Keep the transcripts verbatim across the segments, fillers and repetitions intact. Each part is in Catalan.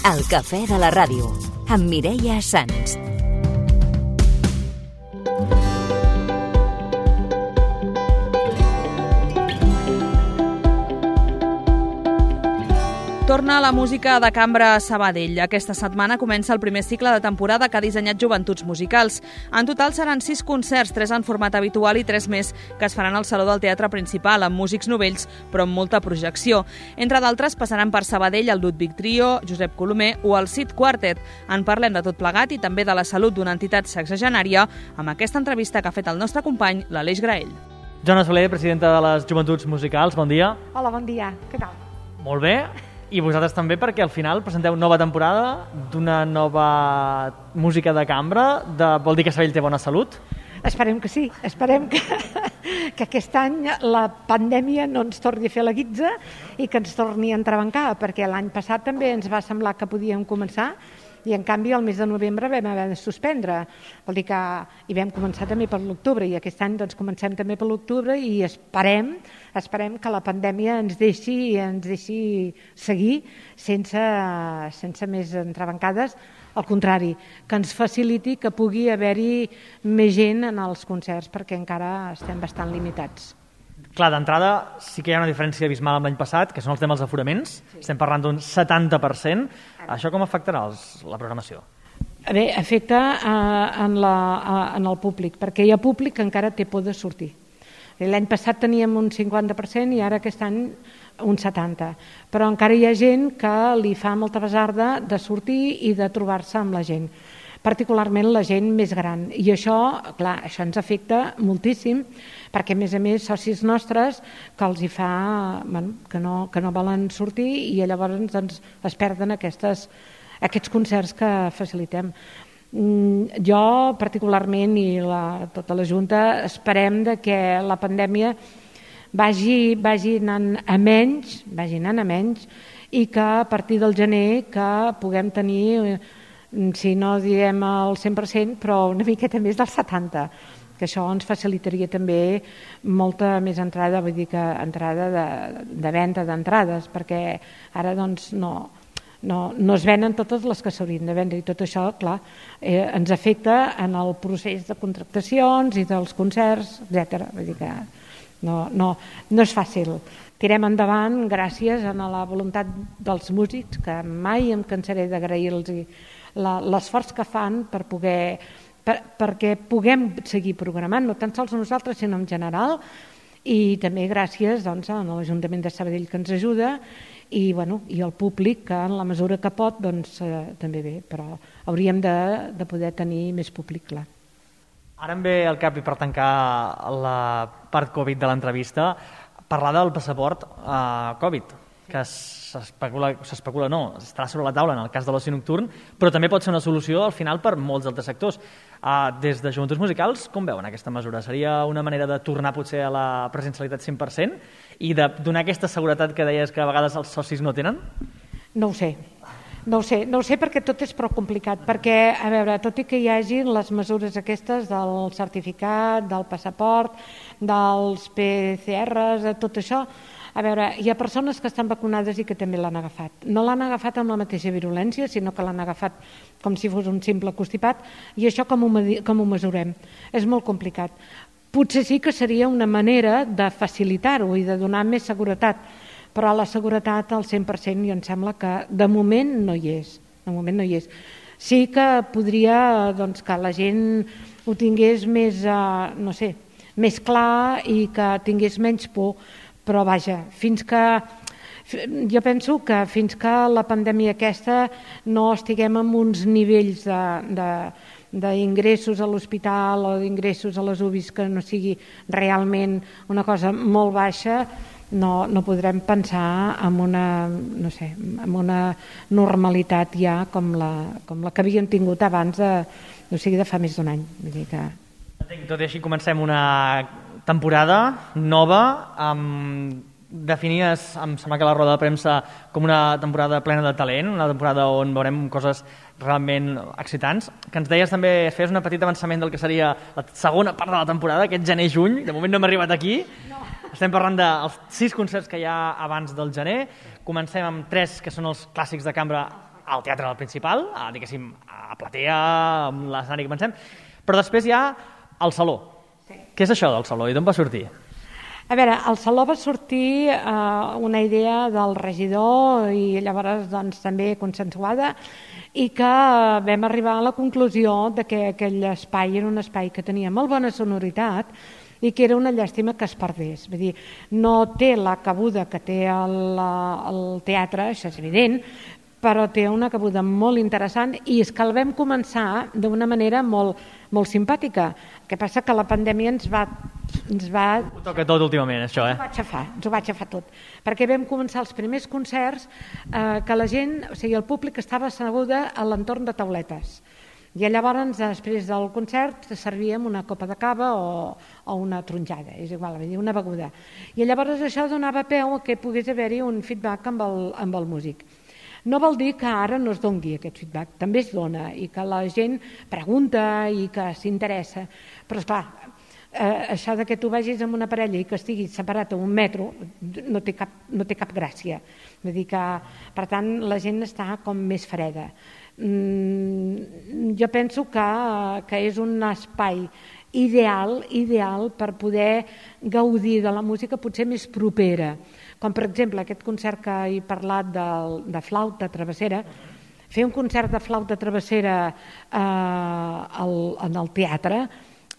El cafè de la ràdio, amb Mireia Sans. Torna la música de cambra a Sabadell. Aquesta setmana comença el primer cicle de temporada que ha dissenyat Joventuts Musicals. En total seran sis concerts, tres en format habitual i tres més que es faran al Saló del Teatre Principal, amb músics novells, però amb molta projecció. Entre d'altres passaran per Sabadell el Ludwig Trio, Josep Colomer o el Cid Quartet. En parlem de tot plegat i també de la salut d'una entitat sexagenària amb aquesta entrevista que ha fet el nostre company, l'Aleix Graell. Joana Soler, presidenta de les Joventuts Musicals, bon dia. Hola, bon dia. Què tal? Molt bé. I vosaltres també, perquè al final presenteu nova temporada d'una nova música de cambra. De... Vol dir que Sabadell té bona salut? Esperem que sí. Esperem que, que aquest any la pandèmia no ens torni a fer la guitza i que ens torni a entrebancar, perquè l'any passat també ens va semblar que podíem començar i en canvi el mes de novembre vam haver de suspendre. Vol dir que hi vam començar també per l'octubre i aquest any doncs comencem també per l'octubre i esperem esperem que la pandèmia ens deixi ens deixi seguir sense, sense més entrebancades, al contrari, que ens faciliti que pugui haver-hi més gent en els concerts perquè encara estem bastant limitats. Clar, d'entrada sí que hi ha una diferència abismal amb l'any passat, que són els temes d'aforaments. Sí. Estem parlant d'un setanta per cent. Això com afectarà els, la programació? Bé, afecta eh, en, la, eh, en el públic, perquè hi ha públic que encara té por de sortir. L'any passat teníem un cinquanta per cent i ara aquest any un setanta per cent. Però encara hi ha gent que li fa molta basarda de sortir i de trobar-se amb la gent, particularment la gent més gran. I això, clar, això ens afecta moltíssim, perquè a més a més socis nostres que els hi fa, bueno, que no, que no volen sortir i llavors doncs, es perden aquestes, aquests concerts que facilitem. Jo particularment i la, tota la Junta esperem de que la pandèmia vagi, vagi anant a menys, vagi anant a menys i que a partir del gener que puguem tenir, si no diem el cent per cent, però una miqueta més del setanta per cent, que això ens facilitaria també molta més entrada, vull dir que entrada de, de venda d'entrades, perquè ara doncs no... No, no es venen totes les que s'haurien de vendre i tot això, clar, eh, ens afecta en el procés de contractacions i dels concerts, etcètera. Vull dir que no, no, no és fàcil. Tirem endavant gràcies a la voluntat dels músics, que mai em cansaré d'agrair-los l'esforç que fan per poder, per, perquè puguem seguir programant, no tan sols nosaltres, sinó en general, i també gràcies doncs, a l'Ajuntament de Sabadell que ens ajuda i, bueno, i el públic que en la mesura que pot doncs, eh, també bé, però hauríem de, de poder tenir més públic, clar. Ara em ve al cap, i per tancar la part Covid de l'entrevista, parlar del passaport eh, Covid, que s'especula, s'especula no, estarà sobre la taula en el cas de l'oci nocturn, però també pot ser una solució al final per molts altres sectors. Uh, des de Joventuts Musicals, com veuen aquesta mesura? Seria una manera de tornar potser a la presencialitat cent per cent i de donar aquesta seguretat que deies que a vegades els socis no tenen? No ho sé. No ho sé, no ho sé perquè tot és prou complicat, perquè, a veure, tot i que hi hagi les mesures aquestes del certificat, del passaport, dels P C Rs, de tot això, a veure, hi ha persones que estan vacunades i que també l'han agafat. No l'han agafat amb la mateixa virulència, sinó que l'han agafat com si fos un simple constipat, i això com ho, com ho mesurem? És molt complicat. Potser sí que seria una manera de facilitar-ho i de donar més seguretat, però la seguretat al cent per cent jo em sembla que de moment no hi és. De moment no hi és. Sí que podria doncs, que la gent ho tingués més, eh, no sé, més clar i que tingués menys por, però vaja, fins que jo penso que fins que la pandèmia aquesta no estiguem en uns nivells d'ingressos a l'hospital o d'ingressos a les U B Is que no sigui realment una cosa molt baixa, no, no podrem pensar en una, no sé, en una normalitat ja com la, com la que havíem tingut abans de, o sigui, de fa més d'un any. Vull dir que... Tot i així comencem una temporada nova, amb definies, em sembla que la roda de premsa, com una temporada plena de talent, una temporada on veurem coses realment excitants, que ens deies també, fes un petit avançament del que seria la segona part de la temporada, aquest gener-juny, de moment no hem arribat aquí, no. Estem parlant dels sis concerts que hi ha abans del gener, comencem amb tres que són els clàssics de cambra al teatre principal, a, diguéssim, a platea, amb l'escenari que pensem, però després hi ha el saló. Sí. Què és això del saló i d'on va sortir? A veure, al saló va sortir eh, una idea del regidor i llavors doncs, també consensuada i que vam arribar a la conclusió de que aquell espai era un espai que tenia molt bona sonoritat i que era una llàstima que es perdés. Vull dir, no té la cabuda que té el, el teatre, això és evident, però té una cabuda molt interessant i és que el vam començar d'una manera molt, molt simpàtica. El que passa que la pandèmia ens va... Ens va... Ho toca tot últimament, això, eh? Ens ho va aixafar, ens ho va aixafar tot. Perquè vam començar els primers concerts eh, que la gent, o sigui, el públic estava asseguda a l'entorn de tauletes. I llavors, després del concert, servíem una copa de cava o, o una tronjada, és igual, vull dir, una beguda. I llavors això donava peu a que pogués haver-hi un feedback amb el, amb el músic. No vol dir que ara no es doni aquest feedback, també es dona i que la gent pregunta i que s'interessa, però esclar, eh, això de que tu vagis amb una parella i que estiguis separat a un metro no té cap, no té cap gràcia. Vull dir que, per tant, la gent està com més freda. Mm, jo penso que, que és un espai ideal, ideal per poder gaudir de la música potser més propera. Com per exemple aquest concert que he parlat de, de flauta travessera, fer un concert de flauta travessera eh, al, en el teatre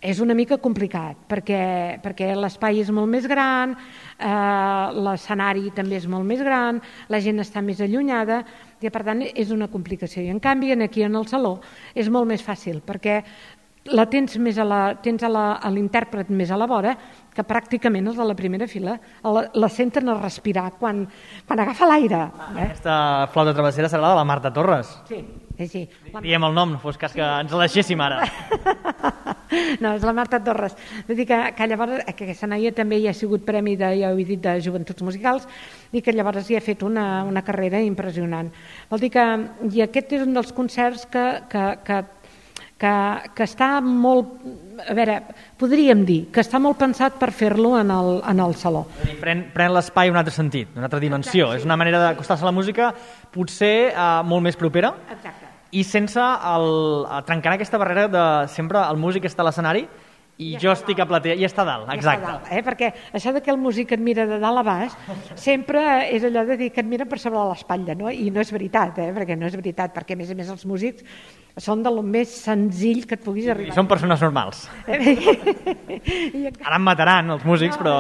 és una mica complicat perquè, perquè l'espai és molt més gran, eh, l'escenari també és molt més gran, la gent està més allunyada i per tant és una complicació. I en canvi aquí en el saló és molt més fàcil perquè la tens més a la, tens a la, a l'intèrpret més a la vora que pràcticament els de la primera fila la, la senten a respirar quan, quan agafa l'aire. Eh? Aquesta flauta travessera serà la de la Marta Torres. Sí, sí, sí. Diem el nom, no fos cas que ens la deixéssim ara. No, és la Marta Torres. Vull dir que, que llavors, que aquesta noia també hi ha sigut premi de, ja ho he dit, de Joventuts Musicals i que llavors hi ha fet una, una carrera impressionant. Vol dir que, i aquest és un dels concerts que, que, que Que, que està molt, a veure, podríem dir que està molt pensat per fer-lo en, el, en el saló. Pren, pren l'espai un altre sentit, una altra dimensió. Exacte, sí. És una manera d'acostar-se a la música potser eh, molt més propera. Exacte. I sense el, trencar aquesta barrera de sempre el músic està a l'escenari i ja jo estic a platea i està a dalt, exacte. Ja dalt, eh? Perquè això de que el músic et mira de dalt a baix sempre és allò de dir que et mira per sobre l'espatlla, no? I no és veritat, eh? Perquè no és veritat, perquè a més a més els músics són de lo més senzill que et puguis arribar. I són persones normals. Ara em mataran els músics, però...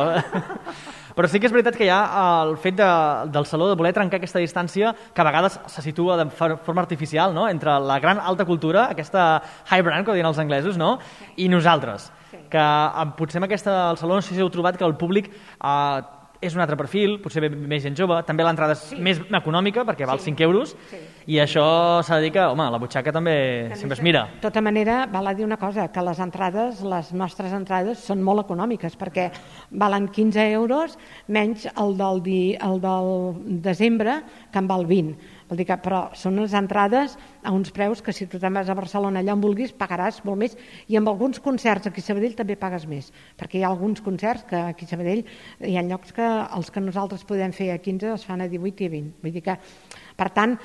Però sí que és veritat que hi ha el fet de, del saló de voler trencar aquesta distància que a vegades se situa de forma artificial, no? Entre la gran alta cultura, aquesta high brand, que diuen els anglesos, no? I nosaltres. Que potser amb aquesta, el saló no sé si heu trobat que el públic eh, és un altre perfil, potser ve més gent jove, també l'entrada és sí. més econòmica perquè val sí. cinc euros sí. i això s'ha de dir que, home, la butxaca també, també sempre es mira. De tota manera, val a dir una cosa, que les entrades, les nostres entrades són molt econòmiques perquè valen quinze euros menys el del, di, el del desembre que en val vint. Vol dir que, però són unes entrades a uns preus que si tu te'n vas a Barcelona allà on vulguis pagaràs molt més i amb alguns concerts aquí a Sabadell també pagues més perquè hi ha alguns concerts que aquí a Sabadell hi ha llocs que els que nosaltres podem fer a quinze es fan a divuit i a vint. Vull dir que, per tant,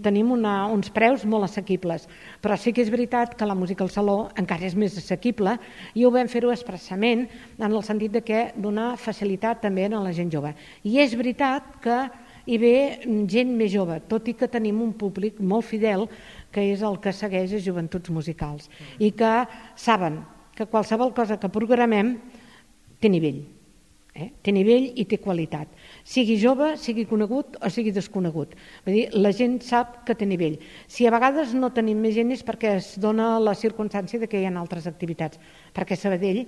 tenim una, uns preus molt assequibles. Però sí que és veritat que la música al saló encara és més assequible i ho vam fer-ho expressament en el sentit de que dona facilitat també a la gent jove. I és veritat que hi ve gent més jove, tot i que tenim un públic molt fidel que és el que segueix a Joventuts Musicals i que saben que qualsevol cosa que programem té nivell, eh? té nivell i té qualitat, sigui jove, sigui conegut o sigui desconegut. Vull dir, la gent sap que té nivell. Si a vegades no tenim més gent és perquè es dona la circumstància de que hi ha altres activitats, perquè Sabadell,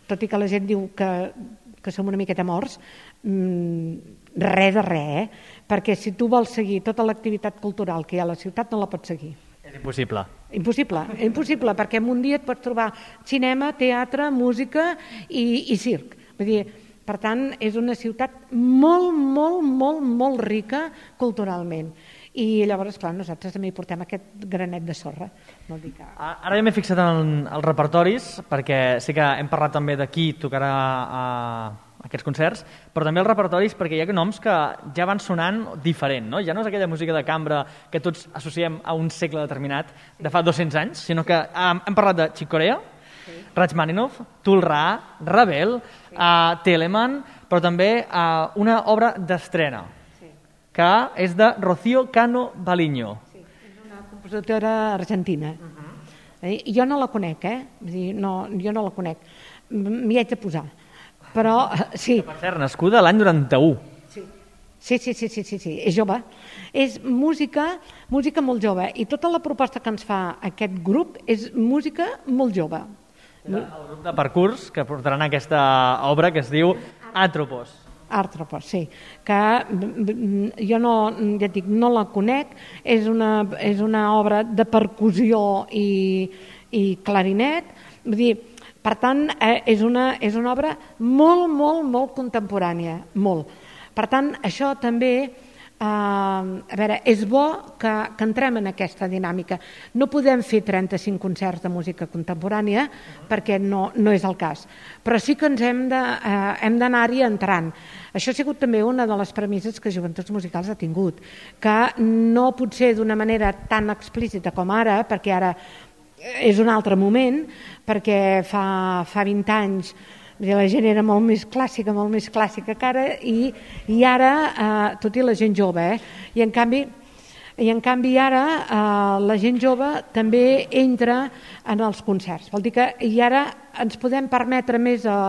tot i que la gent diu que, que som una miqueta morts, mmm, res de res, eh? Perquè si tu vols seguir tota l'activitat cultural que hi ha a la ciutat no la pots seguir. És impossible. Impossible, impossible, perquè en un dia et pots trobar cinema, teatre, música i, i circ. Vull dir, per tant, és una ciutat molt, molt, molt, molt rica culturalment. I llavors, clar, nosaltres també hi portem aquest granet de sorra. No dic que... Ara ja m'he fixat en els repertoris, perquè sí que hem parlat també de qui tocarà a, aquests concerts, però també els repertoris, perquè hi ha noms que ja van sonant diferent, no? Ja no és aquella música de cambra que tots associem a un segle determinat de fa dos-cents anys, sinó que hem, hem parlat de Chick Corea, sí. Rachmaninoff, Tool Ra, Ravel, sí. uh, Telemann, però també uh, una obra d'estrena, sí. que és de Rocío Cano Baliño. Sí, és una compositora argentina. Uh-huh. eh? Jo no la conec, eh? Vull dir, no, jo no la conec. M'hi haig de posar. Però, sí. Que, per cert, nascuda l'any noranta-u. Sí. Sí, sí, sí, sí, sí, sí, és jove. És música, música molt jove. I tota la proposta que ens fa aquest grup és música molt jove. El grup de Parcurs que portaran aquesta obra que es diu Atropos. Artropos, sí. Que jo no, ja et dic, no la conec. És una, és una obra de percussió i, i clarinet. Vull dir, per tant, eh, és, una, és una obra molt, molt, molt contemporània, molt. Per tant, això també, eh, a veure, és bo que, que entrem en aquesta dinàmica. No podem fer trenta-cinc concerts de música contemporània perquè no, no és el cas, però sí que ens hem de, eh, hem d'anar-hi entrant. Això ha sigut també una de les premisses que Joventuts Musicals ha tingut, que no pot ser d'una manera tan explícita com ara, perquè ara és un altre moment, perquè fa, fa vint anys la gent era molt més clàssica, molt més clàssica que ara, i, i ara, eh, tot i la gent jove, eh? I en canvi, i en canvi ara eh, la gent jove també entra en els concerts. Vol dir que i ara ens podem permetre més eh,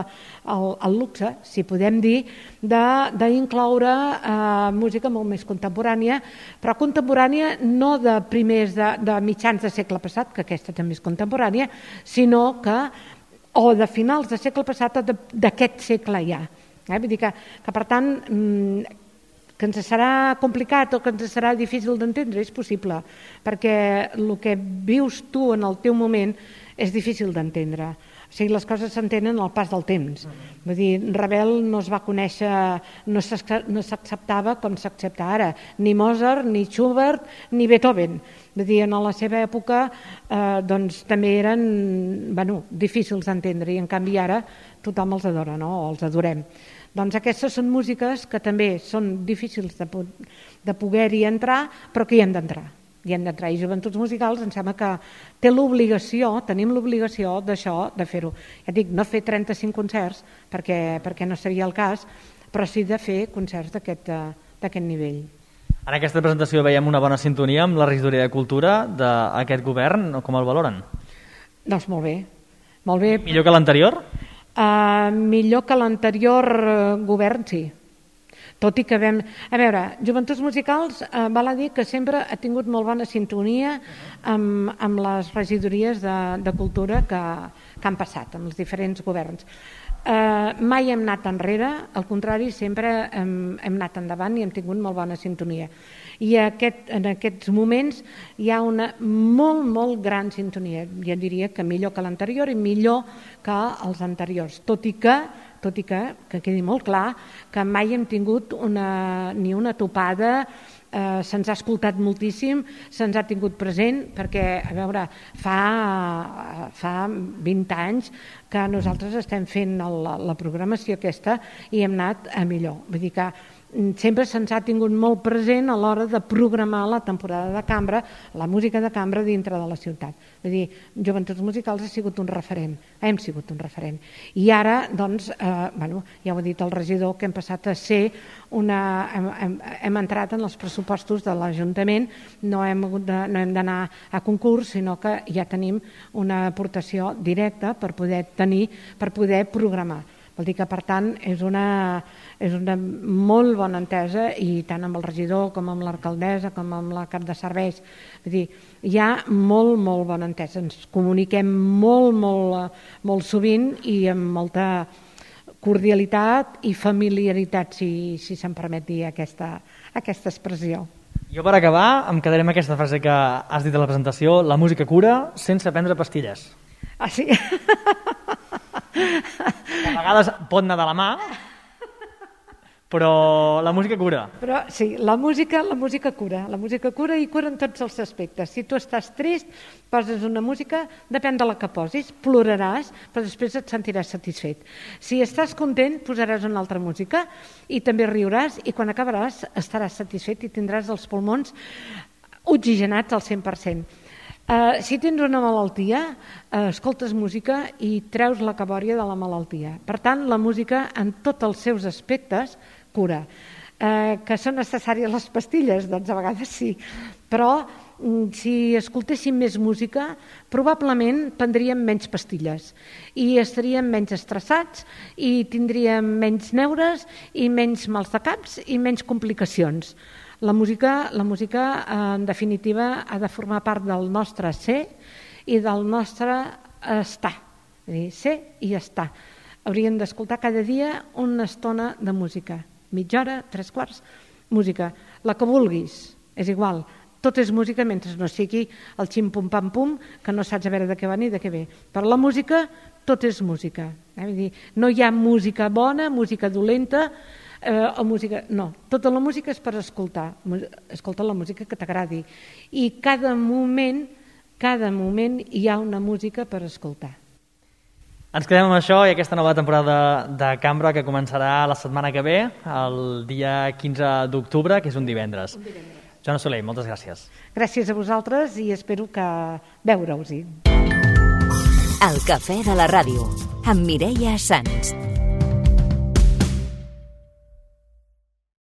el, el luxe, si podem dir, d'incloure eh, música molt més contemporània, però contemporània no de primers de, de mitjans de segle passat, que aquesta també és contemporània, sinó que o de finals de segle passat o d'aquest segle ja. Eh? Vull dir que, que per tant, que ens serà complicat o que ens serà difícil d'entendre és possible, perquè el que vius tu en el teu moment és difícil d'entendre. O sigui, les coses s'entenen al pas del temps. Vull dir, Ravel no es va conèixer, no s'acceptava com s'accepta ara, ni Mozart, ni Schubert, ni Beethoven. Vull dir, en la seva època eh, doncs, també eren bueno, difícils d'entendre i en canvi ara tothom els adora, no? O els adorem. Doncs aquestes són músiques que també són difícils de, de poder-hi entrar, però que hi hem d'entrar. Hi hem d'entrar. I Joventuts Musicals em sembla que té l'obligació, tenim l'obligació d'això, de fer-ho. Ja dic, no fer trenta-cinc concerts, perquè, perquè no seria el cas, però sí de fer concerts d'aquest nivell. En aquesta presentació veiem una bona sintonia amb la regidoria de Cultura d'aquest govern. Com el valoren? Doncs molt bé. Molt bé. Millor que l'anterior? Uh, millor que l'anterior govern, sí. Tot i que vam... A veure, Joventuts Musicals eh, val a dir que sempre ha tingut molt bona sintonia amb, amb les regidories de, de cultura que, que han passat, amb els diferents governs. Eh, mai hem anat enrere, al contrari, sempre hem, hem anat endavant i hem tingut molt bona sintonia. I aquest, en aquests moments hi ha una molt, molt gran sintonia. Jo diria que millor que l'anterior i millor que els anteriors, tot i que tot i que, que quedi molt clar, que mai hem tingut una, ni una topada, eh, se'ns ha escoltat moltíssim, se'ns ha tingut present, perquè, a veure, fa, fa vint anys que nosaltres estem fent la, la programació aquesta i hem anat a millor. Vull dir que sempre se'ns ha tingut molt present a l'hora de programar la temporada de cambra, la música de cambra dintre de la ciutat. Vull dir, Joventuts Musicals ha sigut un referent, hem sigut un referent. I ara, doncs, eh, bueno, ja ho ha dit el regidor, que hem passat a ser una... Hem, hem, hem entrat en els pressupostos de l'Ajuntament, no hem hagut de, no hem d'anar a concurs, sinó que ja tenim una aportació directa per poder tenir, per poder programar. Vol dir que, per tant, és una, és una molt bona entesa i tant amb el regidor com amb l'alcaldessa com amb la cap de serveis. Vull dir, hi ha molt, molt bona entesa. Ens comuniquem molt, molt, molt sovint i amb molta cordialitat i familiaritat, si, si se'm permet dir aquesta, aquesta expressió. Jo, per acabar, em quedaré amb aquesta frase que has dit a la presentació: la música cura sense prendre pastilles. Ah, sí? Que a vegades pot anar de la mà, Però la música cura. Però sí, la música, la música cura, la música cura i cura en tots els aspectes. Si tu estàs trist, poses una música, depèn de la que posis, ploraràs, però després et sentiràs satisfet. Si estàs content, posaràs una altra música i també riuràs i quan acabaràs estaràs satisfet i tindràs els pulmons oxigenats al cent per cent. Uh, si tens una malaltia, uh, escoltes música i treus la cabòria de la malaltia. Per tant, la música, en tots els seus aspectes, cura. Uh, que són necessàries les pastilles? Doncs a vegades sí. Però mm, si escoltéssim més música, probablement prendríem menys pastilles i estaríem menys estressats i tindríem menys neures i menys mals de caps i menys complicacions. La música, la música, en definitiva, ha de formar part del nostre ser i del nostre estar. És a dir, ser i estar. Hauríem d'escoltar cada dia una estona de música. Mitja hora, tres quarts, música. La que vulguis, és igual. Tot és música mentre no sigui el xim-pum-pam-pum, que no saps a veure de què va ni de què ve. Per la música, tot és música. Eh? Vull dir, no hi ha música bona, música dolenta, Eh, o música, no, tota la música és per escoltar, escolta la música que t'agradi i cada moment cada moment hi ha una música per escoltar. Ens quedem amb això i aquesta nova temporada de Cambra que començarà la setmana que ve, el dia quinze d'octubre, que és un divendres. Un divendres. Joana Soler, moltes gràcies. Gràcies a vosaltres i espero que veure-us-hi. El cafè de la ràdio, amb Mireia Sans.